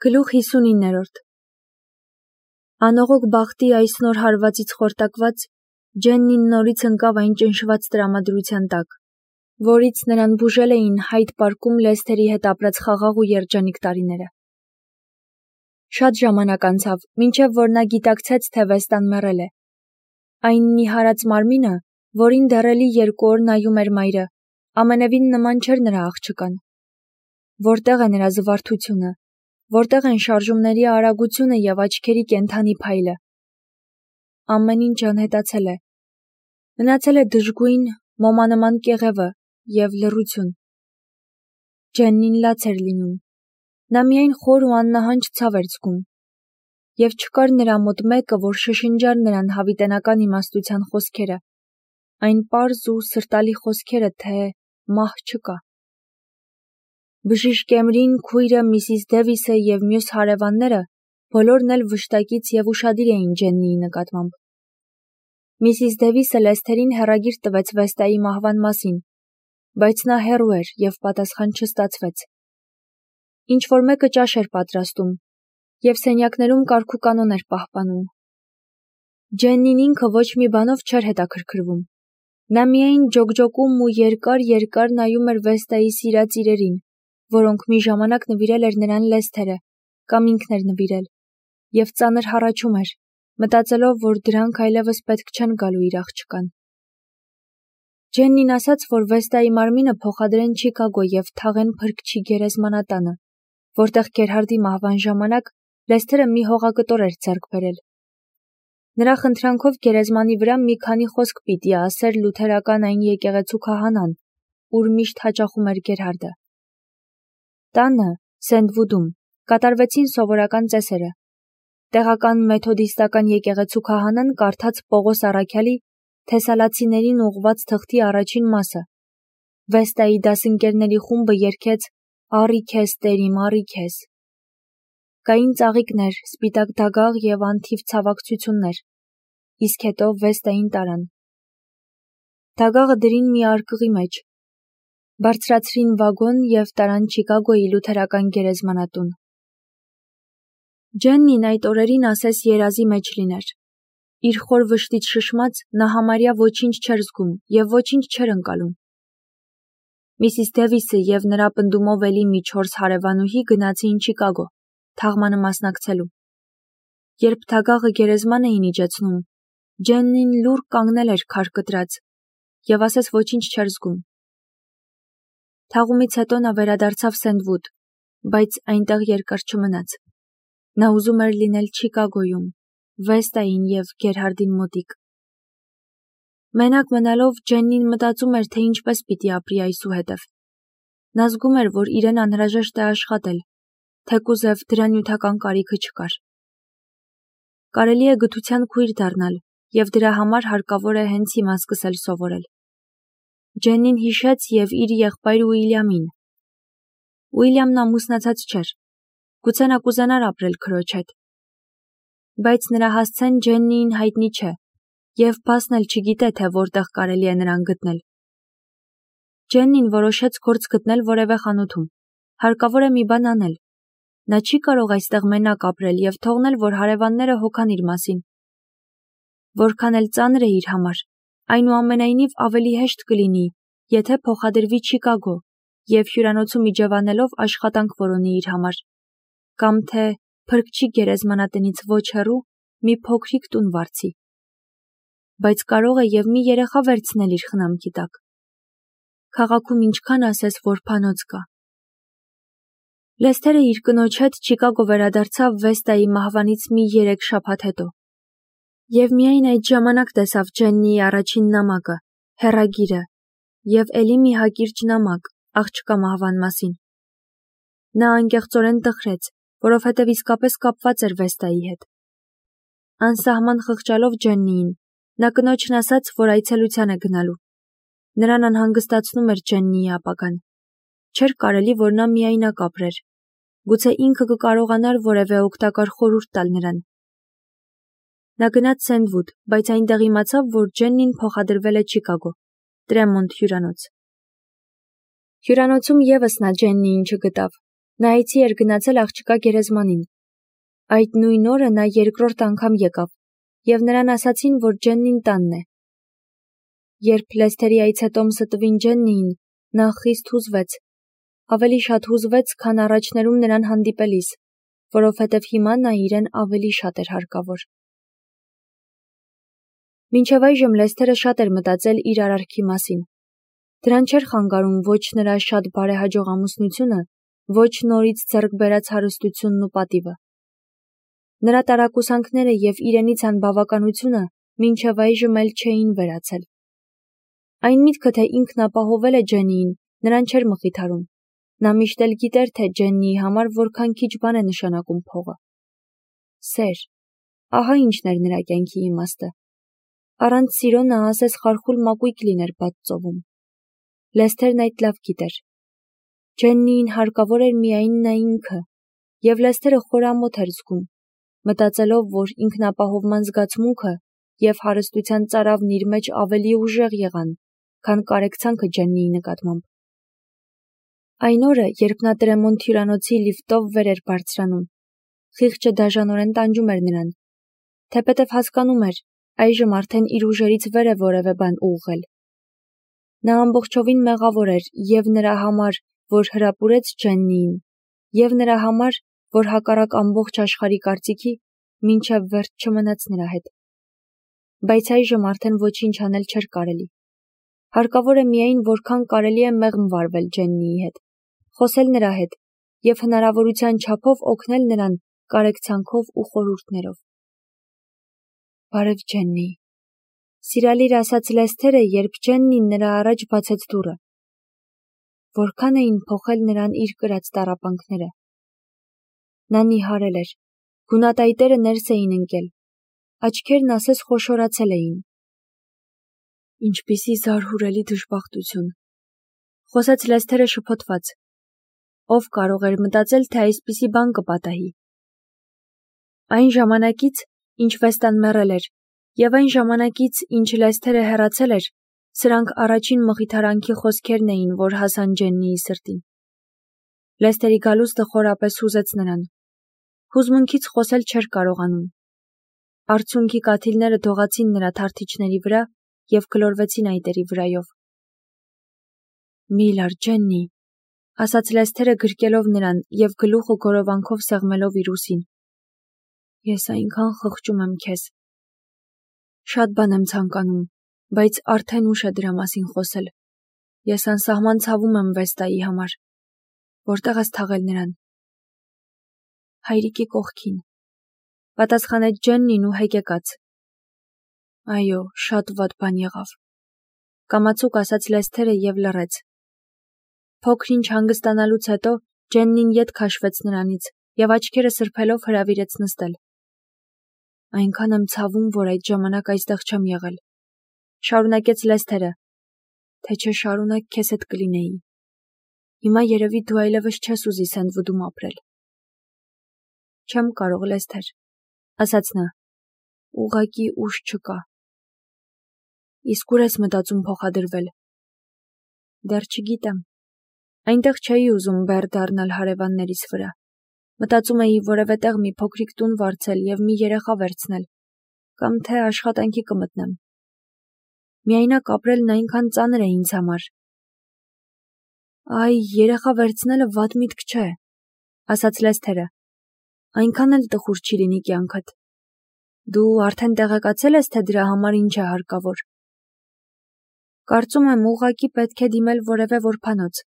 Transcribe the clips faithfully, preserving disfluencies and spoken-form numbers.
Գլուխ հիսունիններորդ Անողոք բախտի այս նոր հարվածից խորտակված, Ջեննին նորից ընկավ այն ճնշված տրամադրության տակ, որից նրան բուժել էին Հայդ պարկում Լեսթերի հետ ապրած խաղաղ ու երջանիկ տարիները։ Շատ ժամանակ անցավ, մինչև որ նա գիտակցեց, թե Վեստան մեռել է։ Այն նիհարած մարմինը, որին դեռելի երկու օր նայում էր մայրը, ամենևին նման չէր նրա աղջկան։ Որտեղ է նրա զվարթությունը, որտեղ են շարժումների արագությունը և աչքերի կենդանի փայլը։ Ամեն ինչ անհետացել է։ Մնացել է դժգույն, մոմանման կեղևը և լռություն։ Ջեննին լաց էր լինում։ Նա միայն խոր ու աննահանջ ցավ էր զգում։ Եվ չկար նրա մոտ մեկը, որ շշնջար նրան հավիտենական իմաստության խոսքերը, այն պարզ ու սրտալի խոսքերը, թե մահ չկա։ Բժիշկ Էմրին, քույրը, Միսիս Դևիսը և մյուս հարևանները բոլորն էլ վշտակից և ուշադիր էին Ջեննիի նկատմամբ։ Միսիս Դևիսը Լեսթերին հեռագիր տվեց Վեստայի մահվան մասին, բայց նա հեռու էր և պատասխան չստացվեց։ Ինչ-որ մեկը ճաշ էր պատրաստում, և սենյակներում կարգուկանոն էր պահպանում։ Ջեննին ինքը ոչ մի բանով չէր հետաքրքրվում։ Նա միայն ջոկջոկում ու երկար-երկար նայում էր Վեստայի սիրած իրերին, որոնք մի ժամանակ նվիրել էր նրան Լեսթերը, կամ ինքն էր նվիրել, և ծանր հառաչում էր, մտածելով, որ դրանք այլևս պետք չեն գալու իր աղջկան։ Ջեննին ասաց, որ Վեստայի մարմինը փոխադրեն Չիկագո և թաղեն Փրկչի գերեզմանատանը, որտեղ Գերհարդի մահվան ժամանակ Լեսթերը մի հողակտոր էր ձեռք բերել։ Նրա խնդրանքով գերեզմանի վրա մի քանի խոսք պիտի ասեր լութերական այն եկեղեցու քահանան, ուր միշտ հաճախում էր Գերհարդը։ Տանը, Սենդվուդում, կատարվեցին սովորական ծեսերը։ Տեղական մեթոդիստական եկեղեցու քահանան կարդաց Պողոս առաքյալի Թեսալացիներին ուղղված թղթի առաջին մասը։ Վեստայի դասընկերների խումբը երգեց «Առի քեզ, Տեր իմ, առի քեզ»։ Կային ծաղիկներ, սպիտակ դագաղ և անթիվ ցավակցություններ, իսկ հետո Վեստային տարան։ Դագաղը դրին մի արկղի մեջ, բարձրացրին վագոն և տարան Չիկագոյի լութերական գերեզմանատուն։ Ջեննին այդ օրերին ասես երազի մեջ լիներ։ Իր խոր վշտից շշմած, նա համարյա ոչինչ չէր զգում և ոչինչ չէր ընկալում։ Միսիս Դևիսը և նրա պնդումով էլի մի չորս հարևանուհի գնացին Չիկագո, թաղմանը մասնակցելու։ Երբ դագաղը գերեզման էին իջեցնում, Ջեննին լուռ կանգնել էր քար կտրած և ասես ոչինչ չէր զգում։ Թաղումից հետո նա վերադարձավ Սենդվուդ, բայց այնտեղ երկար չմնաց։ Նա ուզում էր լինել Չիկագոյում, Վեստային և Գերհարդին մոտիկ։ Մենակ մնալով Ջեննին մտածում էր, թե ինչպես պիտի ապրի այսուհետև։ Նա զգում էր, որ իրեն անհրաժեշտ է աշխատել, թեկուզև դրա նյութական կարիքը չկար։ Կարելի է գթության քույր դառնալ, և դրա համար հարկավոր է հենց հիմա սկսել սովորել։ Ջեննին հիշեց և իր եղբայր Ուիլյամին։ Ուիլյամն ամուսնացած չէր, գուցե նա կուզենար ապրել քրոջ հետ։ Բայց նրա հասցեն Ջեննիին հայտնի չէ, և բասն էլ չգիտե, թե որտեղ կարելի է նրան գտնել։ Ջեննին որոշեց գործ գտնել որևէ խանութում, հարկավոր է մի բան անել։ Նա չի կարող այստեղ մենակ ապրել և թողնել, որ հարևանները հոգան իր մասին։ Որքան էլ ծանր է իր համար, այնուամենայնիվ ավելի հեշտ կլինի, եթե փոխադրվի Չիկագո և հյուրանոցում իջևանելով աշխատանք որոնի իր համար, կամ թե Փրկչի գերեզմանատնից ոչ հեռու մի փոքրիկ տուն վարձի։ Բայց կարող է և մի երեխա վերցնել իր խնամքի տակ։ Քաղաքում ինչքան ասես որբանոց կա։ Լեսթերը իր կնոջ հետ Չիկագո վերադարձավ Վեստայի մահվանից մի երեք շաբաթ հետո։ Եվ միայն այդ ժամանակ տեսավ Ջեննիի առաջին նամակը, հեռագիրը, և էլի մի հակիրճ նամակ, աղջկա մահվան մասին։ Նա անկեղծորեն տխրեց, որովհետև իսկապես կապված էր Վեստայի հետ։ Անսահման խղճալով Ջեննիին, նա կնոջն ասաց, որ այցելության է գնալու։ Նրան անհանգստացնում էր Ջեննիի ապագան։ Չէր կարելի, որ նա միայնակ ապրեր։ Գուցե ինքը կկարողանար որևէ օգտակար խորհուրդ տալ նրան։ Նա գնաց Սենդվուդ, բայց այնտեղ իմացավ, որ Ջեննին փոխադրվել է Չիկագո, Տրեմոնտ հյուրանոց։ Հյուրանոցում ևս նա Ջեննիին չգտավ։ Նայեցի էր գնացել աղջկա գերեզմանին։ Այդ նույն օրը նա երկրորդ անգամ եկավ, և նրան ասացին, որ Ջեննին տանն է։ Երբ Լեսթերի այցե տոմսը տվին Ջեննիին, նա խիստ հուզվեց, ավելի շատ հուզվեց, քան առաջներում նրան հանդիպելիս, որովհետև հիմա նա իրեն ավելի շատ էր հարկավոր։ Մինչև այժմ Լեսթերը շատ էր մտածել իր արարքի մասին։ Դրան չէր խանգարում ոչ նրա շատ բարեհաջող ամուսնությունը, ոչ նորից ձեռք բերած հարստությունն ու պատիվը։ Նրա տարակուսանքները և իրենից անբավականությունը մինչև այժմ էլ չէին վերացել։ Այն միտքը, թե ինքն ապահովել է Ջեննիին, նրան չէր մխիթարում։ Նա միշտ էլ գիտեր, թե Ջեննիի համար որքան քիչ բան է նշանակում փողը։ Սեր, ահա ինչն էր նրա կյանքի իմաստը։ Առանց սիրո նա ասես խարխուլ մակույկ լիներ բաց ծովում։ Լեսթերն այդ լավ գիտեր։ Ջեննիին հարկավոր էր միայն նա ինքը, և Լեսթերը խորամոտ էր զգում, մտածելով, որ ինքնապահովման զգացմունքը և հարստության ծարավն իր մեջ ավելի ուժեղ եղան, քան կարեկցանքը Ջեննիի նկատմամբ։ Այն օրը, երբ նա Տրեմոնտ հյուրանոցի լիֆտով վեր էր բարձրանում, խիղճը դաժանորեն տանջում էր նրան, թեպետև հասկանում էր, այժմ արդեն իր ուժերից վեր է որևէ բան ուղղել։ Նա ամբողջովին մեղավոր էր և նրա համար, որ հրապուրեց Ջեննիին, և նրա համար, որ հակառակ ամբողջ աշխարհի կարծիքի, մինչև վերջ չմնաց նրա հետ։ Բայց այժմ արդեն ոչինչ անել չէր կարելի։ Հարկավոր է միայն որքան կարելի է մեղմ վարվել Ջեննիի հետ, խոսել նրա հետ և հնարավորության չափով օգնել նրան կարեկցանքով ու խորհուրդներով։ Բարև Ջեննի, սիրալիր ասաց Լեսթերը, երբ Ջեննին նրա առաջ բացեց դուռը։ Որքան էին փոխել նրան իր կրած տառապանքները։ Նա նիհարել էր, գունատայտերը ներս էին ընկել, աչքերն ասես խոշորացել էին։ Ինչպիսի զարհուրելի դժբախտություն, խոսեց Լեսթերը շփոթված։ Ով կարող էր մտածել, թե այսպիսի բան կպատահի։ Այն ժամանակից, ինչ Վեստան մեռել էր, և այն ժամանակից, ինչ Լեսթերը հեռացել էր, սրանք առաջին մխիթարանքի խոսքերն էին, որ հասան Ջեննիի սրտին։ Լեսթերի գալուստը խորապես հուզեց նրան։ Հուզմունքից խոսել չէր կարողանում։ Արցունքի կաթիլները դողացին նրա թարթիչների վրա և գլորվեցին այտերի վրայով։ Մի լար, Ջեննի, ասաց Լեսթերը գրկելով նրան և գլուխը գորովանքով սեղմելով իր ուսին։ Ես այնքան խղճում եմ քեզ։ Շատ բան եմ ցանկանում, բայց արդեն ուշ է դրա մասին խոսել։ Ես անսահման ցավում եմ Վեստայի համար։ Որտեղ ես թաղել նրան։ Հայրիկի կողքին, պատասխանեց Ջեննին ու հեկեկաց։ Այո, շատ վատ բան եղավ, կամացուկ ասաց Լեսթերը և լռեց։ Փոքր-ինչ հանգստանալուց հետո Ջեննին ետ քաշվեց նրանից և աչքերը սրբելով հրավիրեց նստել։ Այնքան եմ ցավում, որ այդ ժամանակ այստեղ չեմ եղել, շարունակեց Լեսթերը, թե չէ շարունակ քեզ հետ կլինեի։ Հիմա երևի դու այլևս չես ուզի Սենդվուդում ապրել։ Չեմ կարող, Լեսթեր, ասաց նա, ուղղակի ուժ չկա։ Իսկ ուր ես մտածում փոխադրվել։ Դեռ չգիտեմ։ Այնտեղ չէի ուզում բեռ դառնալ հարևաններիս վրա։ Մտածում էի որևէ տեղ մի փոքրիկ տուն վարձել և մի երեխա վերցնել, կամ թե աշխատանքի կմտնեմ։ Միայնակ ապրելն այնքան ծանր է ինձ համար։ Այ, երեխա վերցնելը վատ միտք չէ, ասաց Լեսթերը։ Այնքան էլ տխուր չի լինի կյանքդ։ Դու արդեն տեղեկացել ես, թե դրա համար ինչ է հարկավոր։ Կարծում եմ, ուղղակի պետք է դիմել որևէ որբանոց։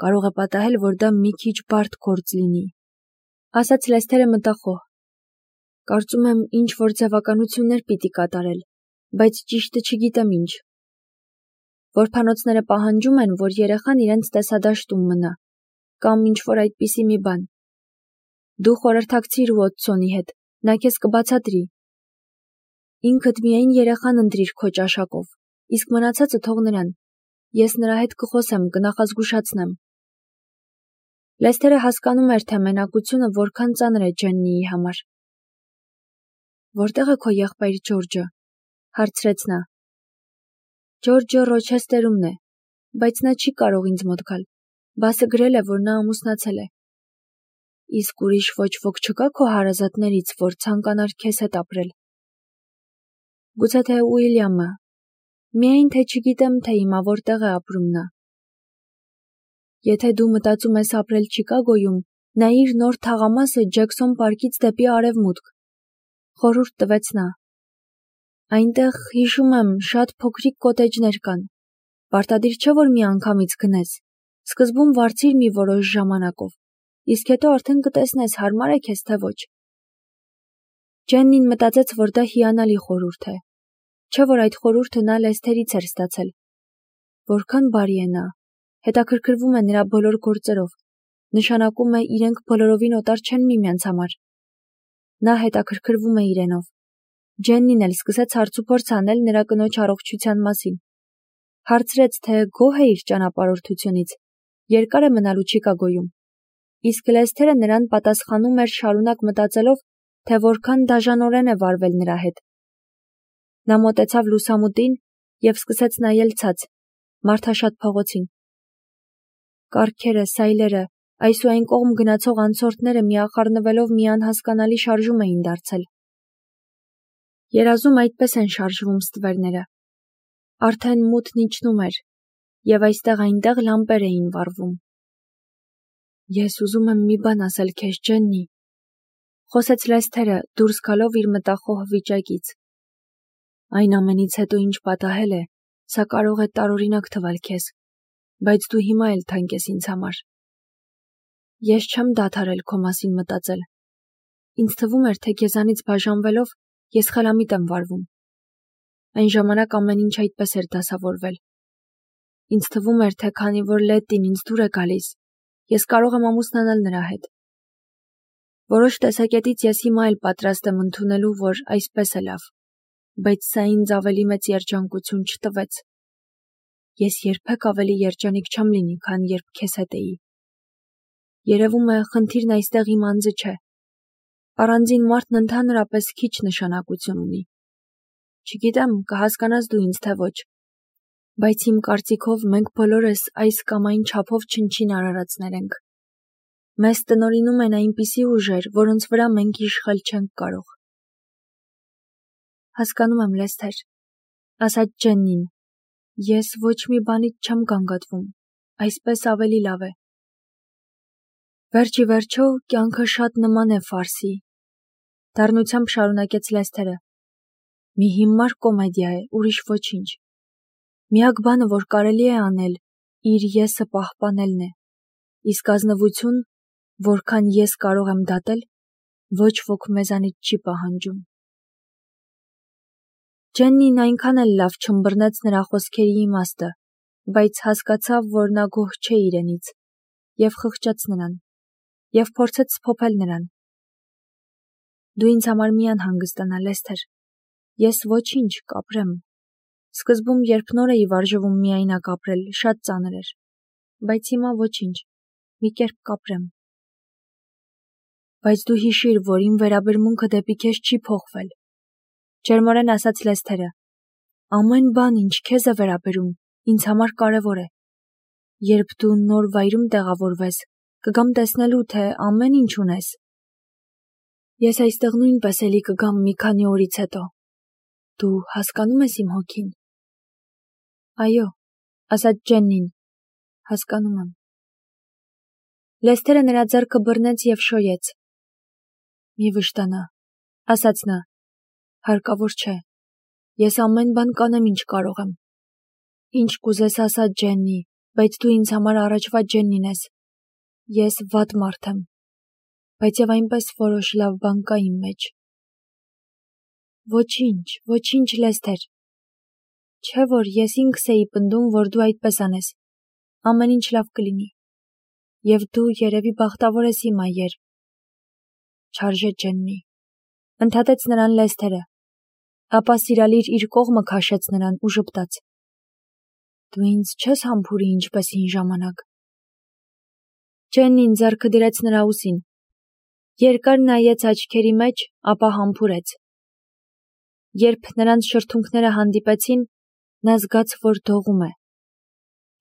Կարող է պատահել, որ դա մի քիչ բարդ գործ լինի, ասաց Լեսթերը մտախոհ։ Կարծում եմ, ինչ որ ձևականություններ պիտի կատարել, բայց ճիշտը չգիտեմ ինչ։ Որբանոցները պահանջում են, որ երեխան իրենց տեսադաշտում մնա, կամ ինչ որ այդպիսի մի բան։ Դու խորհրդակցիր Ուոթսոնի հետ, նա քեզ կբացատրի։ Ինքդ միայն երեխան ընտրիր քո ճաշակով, իսկ մնացածը թող նրան։ Ես նրա հետ կխոսեմ, կնախազգուշացնեմ։ Լեսթերը հասկանում էր, թե մենակությունը որքան ծանր է Ջեննիի համար։ Որտեղ է քո եղբայր Ջորջը, հարցրեց նա։ Ջորջը Ռոչեսթերումն է, բայց նա չի կարող ինձ մոտ գալ։ Բասը գրել է, որ նա ամուսնացել է։ Իսկ ուրիշ ոչ ոք չկա քո հարազատներից, որ ցանկանար քեզ հետ ապրել։ Գուցե թե Ուիլյամը, միայն թե չգիտեմ, թե հիմա որտեղ է ապրում նա։ Եթե դու մտածում ես ապրել Չիկագոյում, նայիր նոր թաղամասը Ջեքսոն պարկից դեպի արևմուտք, խորհուրդ տվեց նա։ Այնտեղ, հիշում եմ, շատ փոքրիկ կոտեջներ կան։ Պարտադիր չէ, որ մի անգամից գնես։ Սկզբում վարձիր մի որոշ ժամանակով, իսկ հետո արդեն կտեսնես հարմար է քեզ թե ոչ։ Ջեննին մտածեց, որ դա հիանալի խորհուրդ է։ Չէ՞ որ այդ խորհուրդը նա Լեսթերից էր ստացել։ Որքան բարի է նա, հետաքրքրվում է նրա բոլոր գործերով, նշանակում է իրենք բոլորովին օտար չեն միմյանց համար։ Նա հետաքրքրվում է իրենով։ Ջեննին էլ սկսեց հարցուփորձ անել նրա կնոջ առողջության մասին։ Հարցրեց, թե գոհ է իր ճանապարհորդությունից, երկար է մնալու Չիկագոյում։ Իսկ Լեսթերը նրան պատասխանում էր շարունակ մտածելով, թե որքան դաժանորեն է վարվել նրա հետ։ Նա մոտեցավ լուսամուտին և սկսեց նայել ցած, մարդաշատ փողոցին։ Կառքերը, սայլերը, այս ու այն կողմ գնացող անցորդները միախառնվելով մի անհասկանալի շարժում էին դարձել։ Երազում այդպես են շարժվում ստվերները։ Արդեն մութն իջնում էր, և այստեղ-այնտեղ լամպեր էին վառվում։ Ես ուզում եմ մի բան ասել քեզ, Ջեննի, խոսեց Լեսթերը, դուրս գալով իր մտախոհ վիճակից։ Այն ամենից հետո, ինչ պատահել է, սա կարող է տարօրինակ թվալ քեզ, բայց դու հիմա էլ թանկ ես ինձ համար։ Ես չեմ դադարել քո մասին մտածել։ Ինձ թվում էր, թե քեզանից բաժանվելով ես խելամիտ եմ վարվում։ Այն ժամանակ ամեն ինչ այդպես էր դասավորվել։ Ինձ թվում էր, թե քանի որ Լետտին ինձ դուր է գալիս, ես կարող եմ ամուսնանալ նրա հետ։ Որոշ տեսակետից ես հիմա էլ պատրաստ եմ ընդունելու, որ այսպես է լավ, բայց սա ինձ ավելի մեծ երջանկություն չտվեց։ Ես երբեք ավելի երջանիկ չեմ լինի, քան երբ քեզ հետ էի։ Երևում է, խնդիրն այստեղ իմ անձը չէ։ Առանձին մարդն ընդհանրապես քիչ նշանակություն ունի։ Չգիտեմ, կհասկանաս դու ինձ թե ոչ, բայց իմ կարծիքով մենք բոլորս այս կամ այն չափով չնչին արարածներ ենք։ Մեզ տնօրինում են այնպիսի ուժեր, որոնց վրա մենք իշխել չենք կարող։ Հասկանում եմ, Լեսթեր, ասաց Ջեննին, ես ոչ մի բանից չեմ գանգատվում, այսպես ավելի լավ է։ Վերջ ի վերջո, կյանքը շատ նման է ֆարսի, դառնությամբ շարունակեց Լեսթերը։ Մի հիմար կոմեդիա է, ուրիշ ոչինչ։ Միակ բանը, որ կարելի է անել, իր եսը պահպանելն է, իսկ ազնվություն, որքան ես կարող եմ դատել, ոչ ոք մեզանից չի պահանջում։ Ջեննին այնքան էլ լավ չըմբռնեց նրա խոսքերի իմաստը, բայց հասկացավ, որ նա գոհ չէ իրենից, և խղճաց նրան, և փորձեց սփոփել նրան։ Դու ինձ համար մի անհանգստանա, Լեսթեր, ես ոչինչ կապրեմ։ Սկզբում, երբ նոր էի վարժվում միայնակ ապրել, շատ ծանր էր, բայց հիմա ոչինչ, մի կերպ կապրեմ։ Բայց դու հիշիր, որ իմ վերաբերմունքը դեպի քեզ չի փոխվել, ջերմորեն ասաց Լեսթերը։ Ամեն բան, ինչ քեզ է վերաբերում, ինձ համար կարևոր է։ Երբ դու նոր վայրում տեղավորվես, կգամ տեսնելու, թե ամեն ինչ ունես։ Ես այստեղ նույնպես էլի կգամ մի քանի օրից հետո։ Դու հասկանում ես իմ հոգին։ Այո, ասաց Ջեննին, հասկանում եմ։ Լեսթերը նրա ձեռքը բռնեց և շոյեց։ Մի վշտանա, ասաց նա, հարկավոր չէ, ես ամեն բան կանեմ, ինչ կարող եմ։ Ինչ կուզես ասա, Ջեննի, բայց դու ինձ համար առաջվա Ջեննին ես։ Ես վատ մարդ եմ, բայց և այնպես որոշ լավ բան կա իմ մեջ։ Ոչինչ, ոչինչ, Լեսթեր։ Չէ՞ որ ես ինքս էի պնդում, որ դու այդպես անես, ամեն ինչ լավ կլինի։ Եվ դու երևի բախտավոր ես հիմա, երբ… Չարժե, Ջեննի, ընդհատեց նրան Լեսթերը, ապա սիրալիր իր կողմը քաշեց նրան ու ժպտաց։ Դու ինձ չես համբուրի ինչպես հին ժամանակ։ Ջեննին ձեռքը դրեց նրա ուսին, երկար նայեց աչքերի մեջ, ապա համբուրեց։ Երբ նրանց շրթունքները հանդիպեցին, նա զգաց, որ դողում է։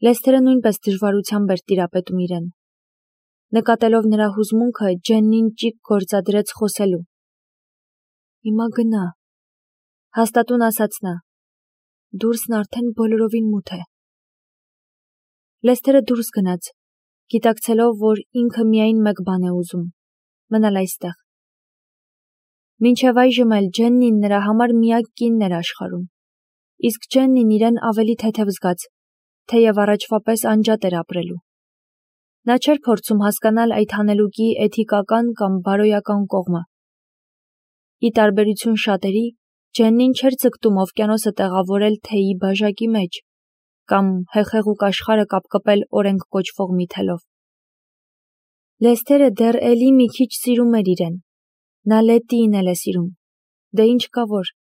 Լեսթերը նույնպես դժվարությամբ էր տիրապետում իրեն։ Նկատելով նրա հուզմունքը, Ջեննին ճիգ գործադրեց խոսելու։ Հիմա գնա, հաստատուն ասաց նա։ Դուրսն արդեն բոլորովին մութ է։ Լեսթերը դուրս գնաց, գիտակցելով, որ ինքը միայն մեկ բան է ուզում՝ մնալ այստեղ։ Մինչև այժմ էլ Ջեննին նրա համար միակ կինն էր աշխարհում, իսկ Ջեննին իրեն ավելի թեթև զգաց, թեև առաջվա պես անջատ էր ապրելու։ Նա չէր փորձում հասկանալ այդ հանելուկի էթիկական կամ բարոյական կողմը։ Ի տարբերություն շատերի, Ջեննին չէր ձգտում օվկիանոսը տեղավորել թեյի բաժակի մեջ կամ հեղեղուկ աշխարհը կապկպել օրենք կոչվող մի թելով։ Լեսթերը դեռ էլի մի քիչ սիրում էր իրեն։ Նա Լետտիին էլ է սիրում։ Դե ինչ կա որ,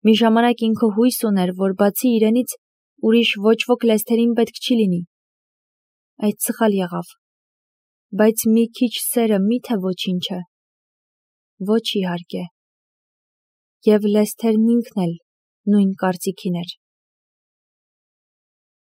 մի ժամանակ ինքը հույս ուներ, որ բացի իրենից ուրիշ ոչ ոք Լեսթերին պետք չի լինի։ Այդ սխալ եղավ։ Բայց մի քիչ սերը մի՞թե ոչինչ է։ Ոչ իհարկե։ Եվ Լեսթերն ինքն էլ նույն կարծիքին էր։